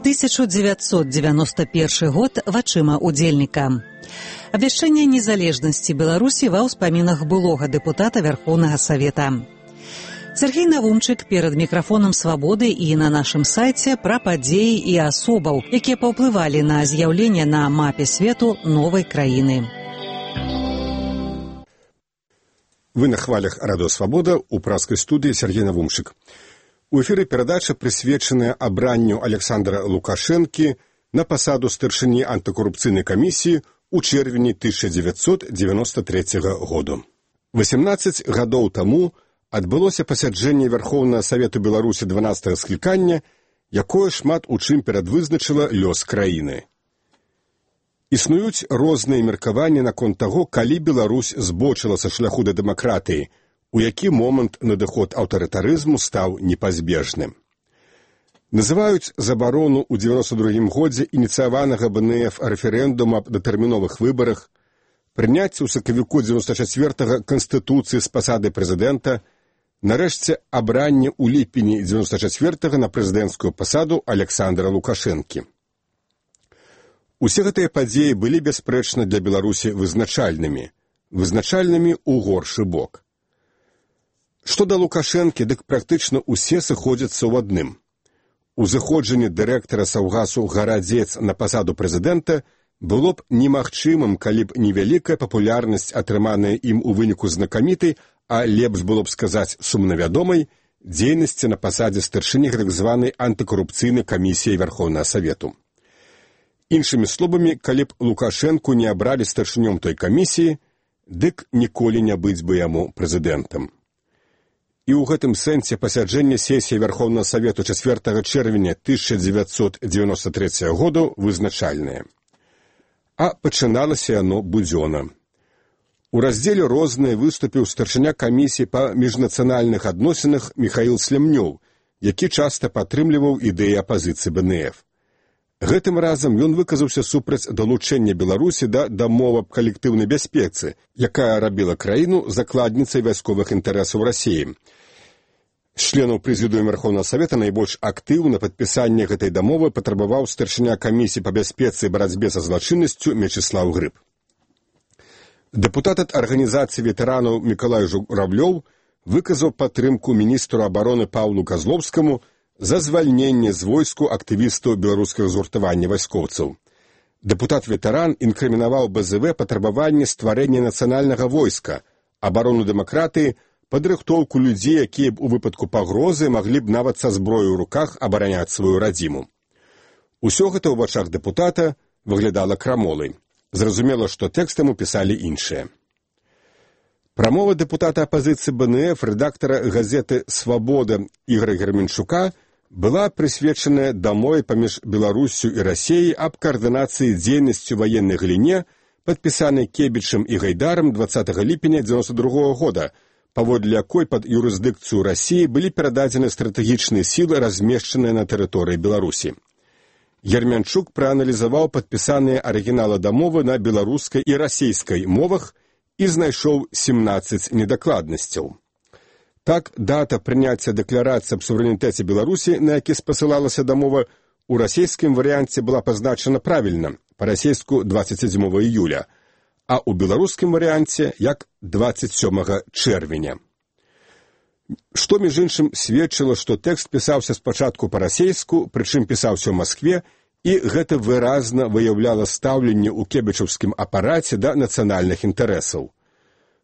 «1991 год вачыма удзельніка». Абвяшчэнне незалежнасці Беларусі ва ўспамінах былога дэпутата Вярхоўнага Савета. Сергей Навумчык перад мікрафонам «Свабоды» і на нашым сайце пра падзеі і асобаў, якія паўплывалі на з'яўленне на мапе свету новай краіны. Вы на хвалях радыё «Свабода», у праскай студыі Сергей Навумчык. У эфіры перадача, прысвечаная абранню Александра Лукашэнкі на пасаду старшыні антыкорупцыйнай камісіі ў чэрвені 1993 году. 18 гадоў таму адбылося пасяджэнне Вярхоўнага Савету Беларусі 12-го склікання, якое шмат у чым перадвызначыла лёс краіны. Існуюць розныя меркаванні наконт таго, калі Беларусь збочыла са шляху да дэмакратыі, у які момант надыход аўтарытарызму стаў непазбежным. Называюць забарону ў 92 годзе ініцыяванага БНФ рэферэндума аб датэрміновых выбарах, прыняцце ў сакавіку 94-го Канстытуцыі з пасады прэзідэнта, нарэшце абранне ў ліпені 94-го на прэзідэнцкую пасаду Александра Лукашэнкі. Усе гэтыя падзеі былі бясспрэчна для Беларусі вызначальнымі ў горшы бок. Што да Лукашэнкі, дык практычна ўсе сыходзяцца ў адным. Узыходжанне дырэктара Саўгасу Гарадзец на пасаду прэзідэнта было б немагчымым, калі б невялікая папулярнасць, атрыманая ім у выніку знакамітай, а лепш было б сказаць сумнавядомай, дзейнасці на пасадзе старшыні так званай антыкорупцыйнай камісіі Вярхоўнага Савету. Іншымі словамі, калі б Лукашэнку не абралі старшынём той камісіі, дык ніколі не быць бы яму прэзідэнтам. І ў гэтым сэнсе пасяджэнне сесіі Вярхоўнага Савету 4 чэрвеня 1993 году вызначальнае. А пачыналася яно будзёна. У раздзеле «Розныя» выступіў старшыня камісіі па міжнацыянальных адносінах Міхаіл Слямнёў, які часта падтрымліваў ідэі апазіцыі БНФ. Гэтым разам ён выказаўся супраць далучэння Беларусі да дамовы аб калектыўнай бяспецы, якая рабіла краіну закладніцай вайсковых інтарэсаў Расіі. З членаў прэзідыума Вярхоўнага Савета найбольш актыўна падпісанне гэтай дамовы патрабаваў старшыня камісіі па бяспецы і барацьбе са злачыннасцю Мечыслаў Грыб. Дэпутат ад арганізацыі ветэранаў Мікалай Журавлёў выказаў падтрымку міністру абароны Паўлу Казлоўскаму за звальненне з войску актывістаў беларускага згуртавання вайскоўцаў. Дэпутат-ветэран інкрымінаваў БЗВ патрабаванне стварэння нацыянальнага войска, абарону дэмакратыі, падрыхтоўку людзей, якія б у выпадку пагрозы маглі б нават са зброяй у руках абараняць сваю радзіму. Усё гэта ў вачах дэпутата выглядала крамолай. Зразумела, што тэкстам пісалі іншыя. Прамова дэпутата апазіцыі БНФ, рэдактара газеты «Свабода» Ігора Герменчука была прысвечаная дамове паміж Беларуссю і Расіяй аб каардынацыі дзейнасці ў ваеннай галіне, падпісанай Кебічам і Гайдарам 20 ліпеня 1992 года, паводле якой пад юрысдыкцыю Расіі былі перададзены стратэгічныя сілы, размешчаныя на тэрыторыі Беларусі. Герменчук прааналізаваў падпісаныя арыгіналы дамовы на беларускай і расійскай мовах і знайшоў 17 недакладнасцяў. Так, дата прыняцця дэкларацыі аб суверэнітэце Беларусі, на які спасылалася дамова, у расійскім варыянце была пазначана правільна, па-расейску 27 июля, а ў беларускім варыянце як 27 чэрвеня. Што, між іншым, сведчыла, што тэкст пісаўся спачатку па-расейску, прычым пісаўся ў Маскве, і гэта выразна выяўляла стаўленне ў кебічаўскім апараце да нацыянальных інтарэсаў.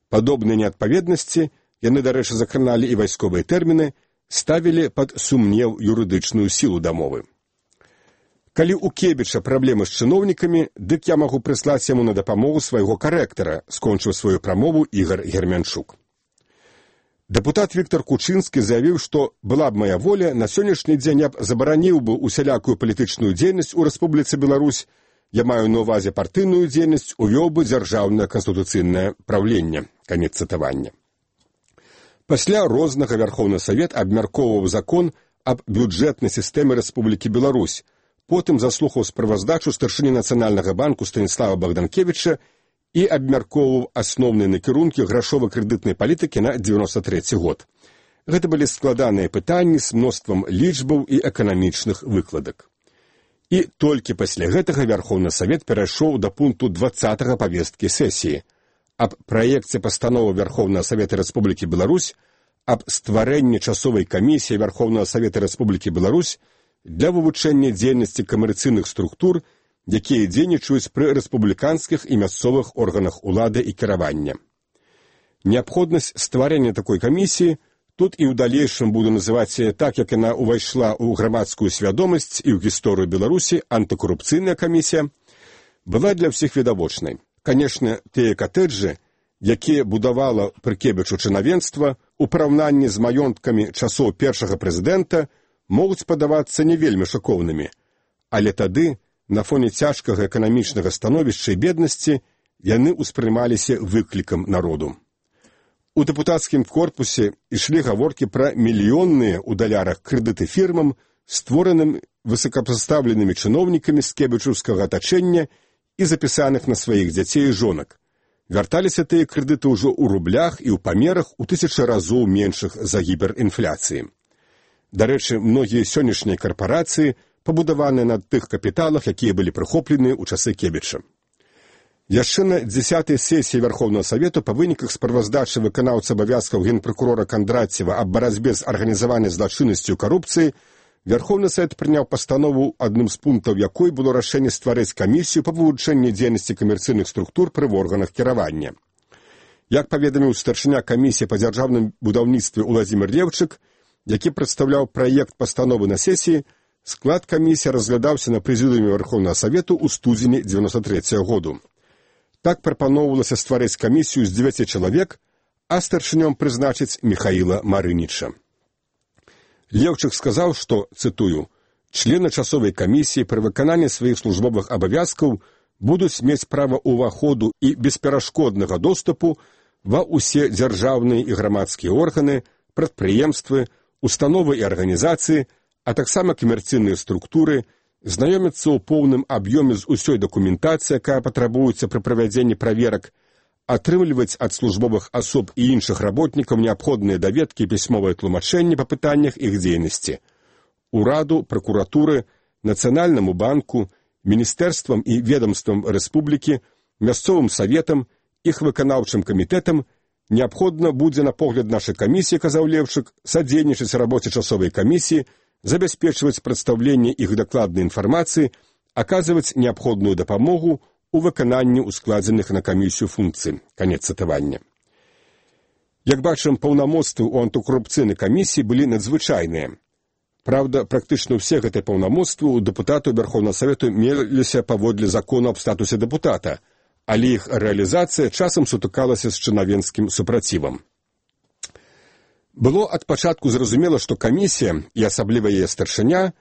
Падобныя неадпаведнасці, яны, дарэчы, закраналі і вайсковыя тэрміны, ставілі пад сумнеў юрыдычную сілу дамовы. Калі ў Кебіча праблемы з чыноўнікамі, дык я магу прыслаць яму на дапамогу свайго карэктара, скончыў сваю прамову Ігор Герменчук. Дэпутат Віктор Кучынскі заявіў, што была б мая воля, на сённяшні дзень я б забараніў бы усялякую палітычную дзейнасць у Рэспубліцы Беларусь, я маю на ўвазе партыйную дзейнасць, увёў бы дзяржаўнае канстытуцыйнае праўленне. Канец цытавання. Пасля рознага Вярхоўны Савет абмяркоўваў закон аб бюджэтнай сістэме Рэспублікі Беларусь, потым заслухаў справаздачу старшыні Нацыянальнага банку Станіслава Богданкевіча і абмяркоўваў асноўныя накірункі грашова-крэдытнай палітыкі на 93 год. Гэта былі складаныя пытанні з мноствам лічбаў і эканамічных выкладак. І толькі пасля гэтага Вярхоўны Савет перайшоў да пункту 20 павесткі сесіі аб праекце пастановы Вярхоўнага Савета Рэспублікі Беларусь аб стварэнні часовай камісіі Вярхоўнага Савета Рэспублікі Беларусь для вывучэння дзейнасці камерцыйных структур, якія дзейнічаюць пры рэспубліканскіх і мясцовых органах улады і кіравання. Неабходнасць стварэння такой камісіі тут і ў далейшым буду называць так, як яна ўвайшла ў грамадскую свядомасць і ў гісторыю Беларусі антыкорупцыйная камісія, была для ўсіх відавочнай. Канешне, тыя катэджы, якія будавала Прыкебічу чынавенства, у параўнанні з маёнткамі часоў першага прэзідэнта, могуць падавацца не вельмі шакоўнымі, але тады, на фоне цяжкага эканамічнага становішча і беднасці, яны ўспрымаліся выклікам народу. У дэпутацкім корпусе ішлі гаворкі пра мільённыя ў далярах крэдыты фірмам, створаным высокапастаўленымі чыноўнікамі скебічаўскага атачэння і запісаных на сваіх дзяцей і жонак. Вярталіся тыя крэдыты ўжо ў рублях і ў памерах у 1000 разоў меншых за гіперінфляцыі. Дарэчы, многія сённяшнія карпарацыі пабудаваныя на тых капіталах, якія былі прыхоплены ў часы Кебіча. Яшчэ на 10-й сесіі Вярхоўнага Савету па выніках справаздачы выканаўцы абавязкаў генпракурора Кандрацева аб барацьбе з арганізаванай злачыннасцю і карупцыяй Вярхоўны Савет прыняў пастанову, адным з пунктаў якой было рашэнне стварыць камісію па вывучэнні дзейнасці камерцыйных структур пры органах кіравання. Як паведаміў старшыня камісіі па дзяржаўным будаўніцтве Уладзімір Левчык, які прадстаўляў праект пастановы на сесіі, склад камісіі разглядаўся на прэзідыуме Вярхоўнага Савету ў студзені 93 году. Так прапаноўвалася стварыць камісію з 9 чалавек, а старшынём прызначыць Міхаіла Марыніча. Левчык сказаў, што, цытую, «члены часовай камісіі пры выкананні сваіх службовых абавязкаў будуць мець права ўваходу і бесперашкоднага доступу ва ўсе дзяржаўныя і грамадскія органы, прадпрыемствы, установы і арганізацыі, а таксама камерцыйныя структуры, знаёміцца ў поўным аб'ёме з усёй дакументацыяй, якая патрабуецца пры правядзенні праверак, атрымліваць ад службовых асоб і іншых работнікаў неабходныя даведкі і пісьмовыя тлумачэнні па пытаннях іх дзейнасці, ураду, пракуратуры, Нацыянальнаму банку, міністэрствам і ведамствам рэспублікі, мясцовым саветам, іх выканаўчым камітэтам неабходна будзе на погляд нашай камісіі, казаў Левчык, садзейнічаць рабоце часовай камісіі, забяспечваць прадстаўленне іх дакладнай інфармацыі, аказваць неабходную дапамогу у выкананні ускладзеных на камісію функцый. Канец цытавання. Як бачым, паўнамоцтвы ў антыкорупцыйнай камісіі былі надзвычайныя. Праўда, практычна ўсе гэтыя паўнамоцтвы ў дэпутатаў Вярхоўнага Савету меліся паводле закону аб статусе дэпутата, але іх рэалізацыя часам сутыкалася з чынавенскім супрацівам. Было ад пачатку зразумела, што камісія, і асабліва яе старшыня,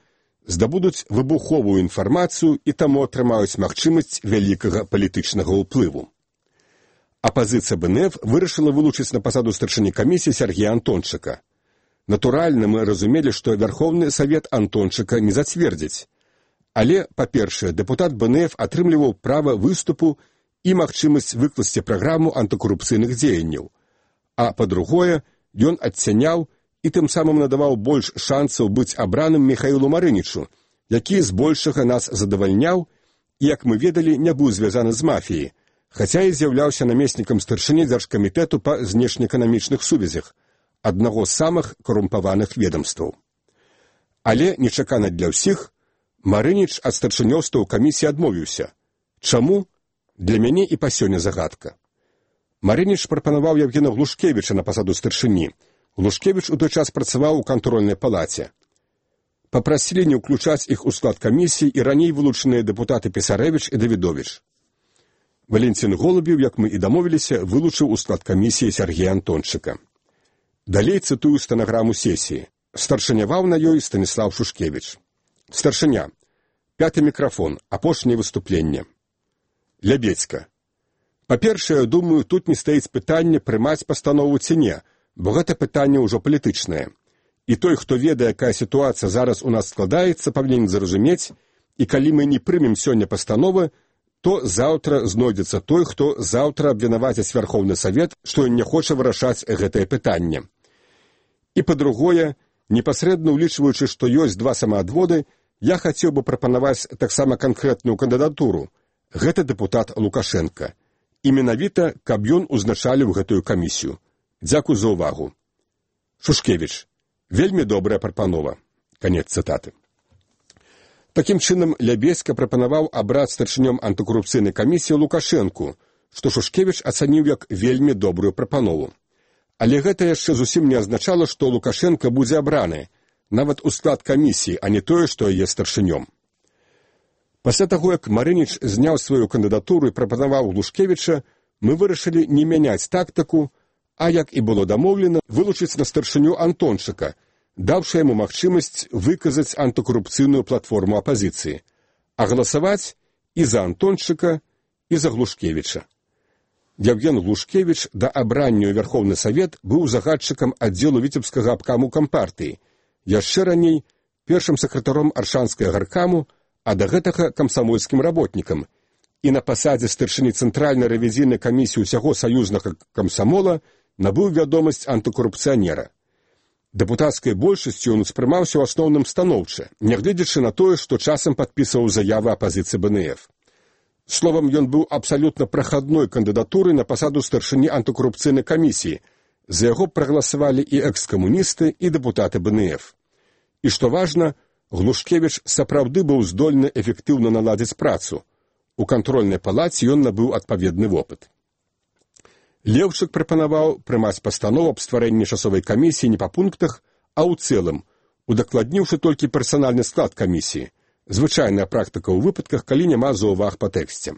здабудуць выбуховую інфармацыю і таму атрымаюць магчымасць вялікага палітычнага ўплыву. Апазіцыя БНФ вырашыла вылучыць на пасаду старшыні камісіі Сергея Антончыка. Натуральна, мы разумелі, што Вярхоўны Савет Антончыка не зацвердзіць. Але, па-першае, дэпутат БНФ атрымліваў права выступу і магчымасць выкласці праграму антыкорупцыйных дзеянняў. А па-другое, ён адцяняў і тым самым надаваў больш шансаў быць абраным Міхаілу Марынічу, які збольшага нас задавальняў і, як мы ведалі, не быў звязаны з мафіяй, хаця і з'яўляўся намеснікам старшыні дзяржкамітэту па знешнеэканамічных сувязях, аднаго з самых карумпаваных ведамстваў. Але, нечакана для ўсіх, Марыніч ад старшынёўства ў камісіі адмовіўся. Чаму? Для мяне і па сёння загадка. Марыніч прапанаваў Евгена Глушкевіча на пасаду старшыні. Глушкевіч у той час працаваў у кантрольнай палаце. Папрасілі не ўключаць іх у склад камісіі і раней вылучаныя дэпутаты Пісарэвіч і Давідовіч. Валентин Голубеў, як мы і дамовіліся, вылучыў у склад камісіі Сергея Антончыка. Далей цытую стэнаграму сесіі. Старшыняваў на ёй Станіслав Шушкевіч. Старшыня. 5-й мікрафон. Апошняе выступленне. Лябедзька. Па-першае, думаю, тут не стаіць пытанне прымаць пастанову ці не, бо гэта пытанне ўжо палітычнае. І той, хто ведае, якая сітуацыя зараз у нас складаецца, павінен зразумець, і калі мы не прымем сёння пастановы, то заўтра знойдзецца той, хто заўтра абвінаваціць Вярхоўны Савет, што ён не хоча вырашаць гэтае пытанне. І па-другое, непасрэдна ўлічваючы, што ёсць два самаадводы, я хацеў бы прапанаваць таксама канкрэтную кандыдатуру. Гэта дэпутат Лукашенка. І менавіта, каб ён узначаліў гэтую камісію. Дзякуй за ўвагу. Шушкевіч. Вельмі добрая прапанова. Канец цытаты. Такім чынам, Лябеська прапанаваў абраць старшынём антыкарупцыйнай камісіі Лукашэнку, што Шушкевіч ацаніў як вельмі добрую прапанову. Але гэта яшчэ зусім не азначала, што Лукашенка будзе абраны, нават у склад камісіі, а не тое, што яе старшынём. Пасля таго, як Марыніч зняў сваю кандыдатуру і прапанаваў Лушкевіча, мы вырашылі не мяняць тактыку, а, як і было дамоўлена, вылучыць на старшыню Антончыка, даўшы яму магчымасць выказаць антыкарупцыйную платформу апазіцыі, а галасаваць і за Антончыка, і за Глушкевіча. Евген Глушкевіч да абрання ў Вярхоўны Савет быў загадчыкам аддзелу віцебскага абкаму кампартыі, яшчэ раней першым сакратаром аршанскага гаркаму, а да гэтага камсамольскім работнікам, і на пасадзе старшыні Цэнтральнай рэвізійнай камісіі ўсяго саюзнага камсамола набыў вядомасць антыкарупцыянера. Дэпутацкай большасцю ён успрымаўся ў асноўным станоўча, нягледзячы на тое, што часам падпісваў заявы апазіцыі БНФ. Словам, ён быў абсалютна прахадной кандыдатурай на пасаду старшыні антыкарупцыйнай камісіі. За яго прагаласавалі і экскамуністы, і дэпутаты БНФ. І што важна, Глушкевіч сапраўды быў здольны эфектыўна наладзіць працу. У кантрольнай палаце ён набыў адпаведны вопыт. Леўчык прапанаваў прымаць пастанову аб стварэнні часовай камісіі не па пунктах, а ў цэлым, удакладніўшы толькі персанальны склад камісіі. Звычайная практыка ў выпадках, калі няма заўваг па тэксце.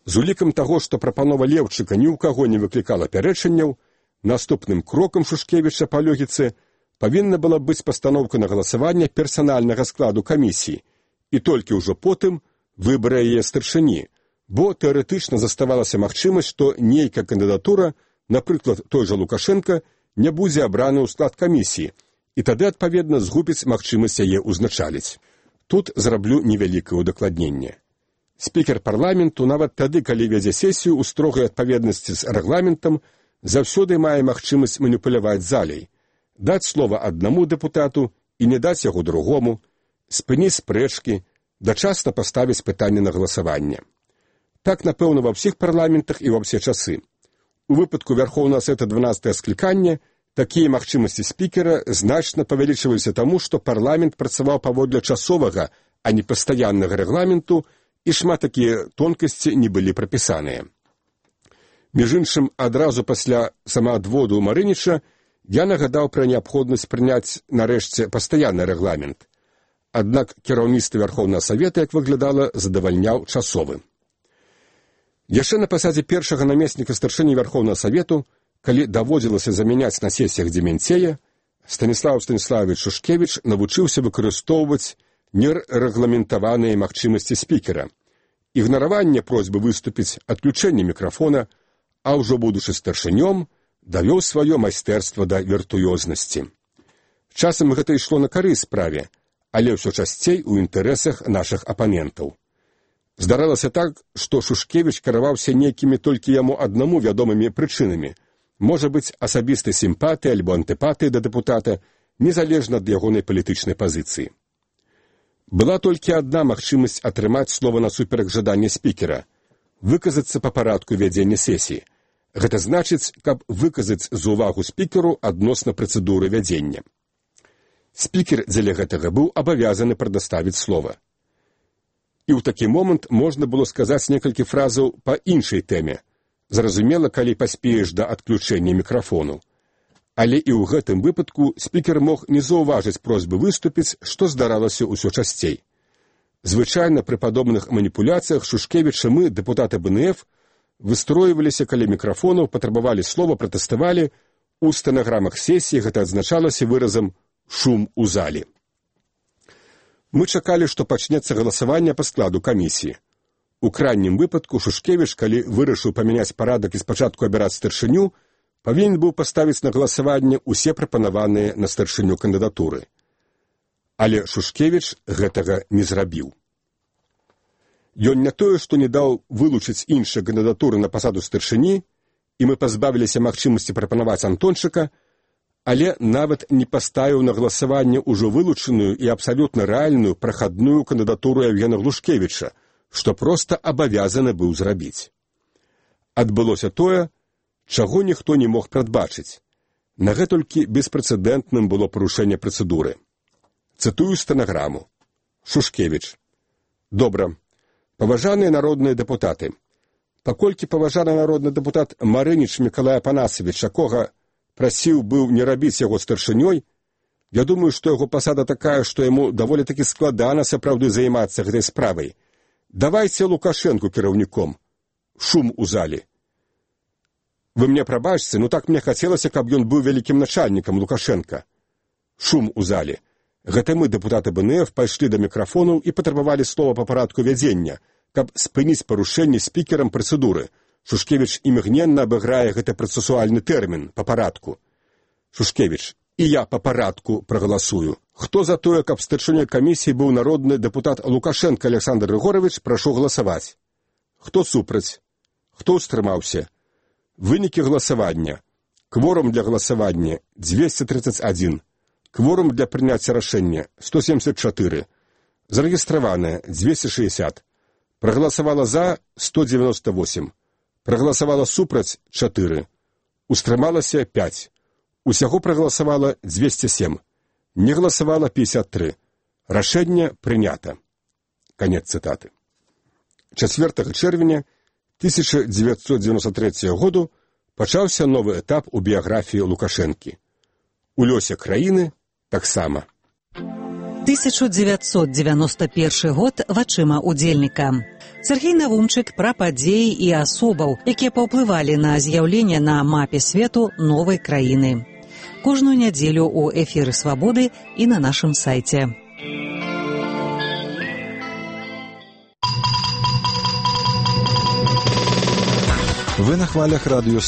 З улікам таго, што прапанова Леўчыка ні ў каго не выклікала пярэчанняў, наступным крокам Шушкевіча па логіцы павінна была быць пастаноўка на галасаванне персанальнага складу камісіі, і толькі ўжо потым выбар яе старшыні, бо тэарэтычна заставалася магчымасць, што нейкая кандыдатура, напрыклад, той жа Лукашенка, не будзе абраны ў склад камісіі, і тады, адпаведна, згубіць магчымасць яе ўзначаліць. Тут зраблю невялікае удакладненне. Спікер парламенту нават тады, калі вядзе сесію ў строгай адпаведнасці з рэгламентам, заўсёды мае магчымасць маніпуляваць залей, даць слова аднаму дэпутату і не даць яго другому, спыніць спрэчкі, дачасна паставіць пытанне на галасаванне. Так, напэўна, ва ўсіх парламентах і ва ўсе часы. У выпадку Вярхоўнага Савета 12-е склікання такія магчымасці спікера значна павялічваліся таму, што парламент працаваў паводле часовага, а не пастаяннага рэгламенту, і шмат такія тонкасці не былі прапісаныя. Між іншым, адразу пасля самаадводу Марыніча я нагадаў пра неабходнасць прыняць нарэшце пастаянны рэгламент. Аднак кіраўніцтва Вярхоўнага Савета, як выглядала, задавальняў часовы. Яшчэ на пасадзе першага намесніка старшыні Вярхоўнага Савету, калі даводзілася замяняць на сесіях Дземянцея, Станіслаў Станіславович Шушкевіч навучыўся выкарыстоўваць нерэгламентаваныя магчымасці спікера, ігнараванне просьбы выступіць, адключэнне мікрафона, а ўжо будучы старшынём, давёў сваё майстэрства да віртуёзнасці. Часам гэта ішло на карысць справе, але ўсё часцей у інтарэсах нашых апанентаў. Здаралася так, што Шушкевіч кіраваўся нейкімі толькі яму аднаму вядомымі прычынамі, можа быць, асабістай сімпатыі альбо антыпатыі да дэпутата, незалежна ад ягонай палітычнай пазіцыі. Была толькі адна магчымасць атрымаць слова насуперак жадання спікера – выказацца па парадку вядзення сесіі. Гэта значыць, каб выказаць за ўвагу спікеру адносна працэдуры вядзення. Спікер дзеля гэтага быў абавязаны прадаставіць слова. І ў такі момант можна было сказаць некалькі фразаў па іншай тэме. Зразумела, калі паспееш да адключэння мікрафону. Але і ў гэтым выпадку спікер мог не заўважыць просьбы выступіць, што здаралася ўсё часцей. Звычайна пры падобных маніпуляцыях Шушкевіча мы, дэпутаты БНФ, выстройваліся каля мікрафонаў, патрабавалі слова, пратэставалі. У стэнаграмах сесіі гэта адзначалася выразам «шум у залі». Мы чакалі, што пачнецца галасаванне па складу камісіі. У крайнім выпадку Шушкевіч, калі вырашыў памяняць парадак і спачатку абіраць старшыню, павінен быў паставіць на галасаванне ўсе прапанаваныя на старшыню кандыдатуры. Але Шушкевіч гэтага не зрабіў. Ён не тое, што не даў вылучыць іншыя кандыдатуры на пасаду старшыні, і мы пазбавіліся магчымасці прапанаваць Антончыка, але нават не паставіў на галасаванне ўжо вылучаную і абсалютна рэальную прахадную кандыдатуру Евгена Глушкевіча, што проста абавязаны быў зрабіць. Адбылося тое, чаго ніхто не мог прадбачыць. На гэтулькі беспрэцэдэнтным было парушэнне працэдуры. Цытую стэнаграму. Шушкевіч. Добра. Паважаныя народныя дэпутаты. Паколькі паважаны народны дэпутат Марыніч Мікалай Апанасавіч, якога прасіў быў не рабіць яго старшынёй, я думаю, што яго пасада такая, што яму даволі такі складана сапраўды займацца гэтай справай. Давайце Лукашэнку кіраўніком. Шум у залі. Вы мне прабачце, так мне хацелася, каб ён быў вялікім начальнікам Лукашэнка. Шум у зале. Гэта мы, дэпутаты БНФ, пайшлі да мікрафонаў і патрабавалі слова па парадку вядзення, каб спыніць парушэнне спікерам працэдуры. Шушкевіч імгненна абыграе гэты працэсуальны тэрмін па парадку. Шушкевіч. І я па парадку прагаласую. Хто за тое, каб старшынёй камісіі быў народны дэпутат Лукашенко Александр Григорович, прашу галасаваць. Хто супраць? Хто ўстрымаўся? Вынікі галасавання. Кворум для галасавання 231. Кворум для прыняцця рашэння 174. Зарэгістраваныя 260. Прагаласавала за 198. Прагаласавала супраць 4. Устрымалася 5. Усяго прагаласавала 207. Не галасавала 53. Рашэнне прынята. Канец цытаты. 4 чэрвеня 1993 году пачаўся новы этап у біяграфіі Лукашэнкі. У лёсе краіны таксама. 1991 год вачыма удзельніка. Сергей Навумчык пра падзеі і асобаў, якія паўплывалі на з'яўленне на мапе свету новай краіны. Кожную нядзелю у эфіры «Свабоды» і на нашым сайце. Вы на хвалях радыё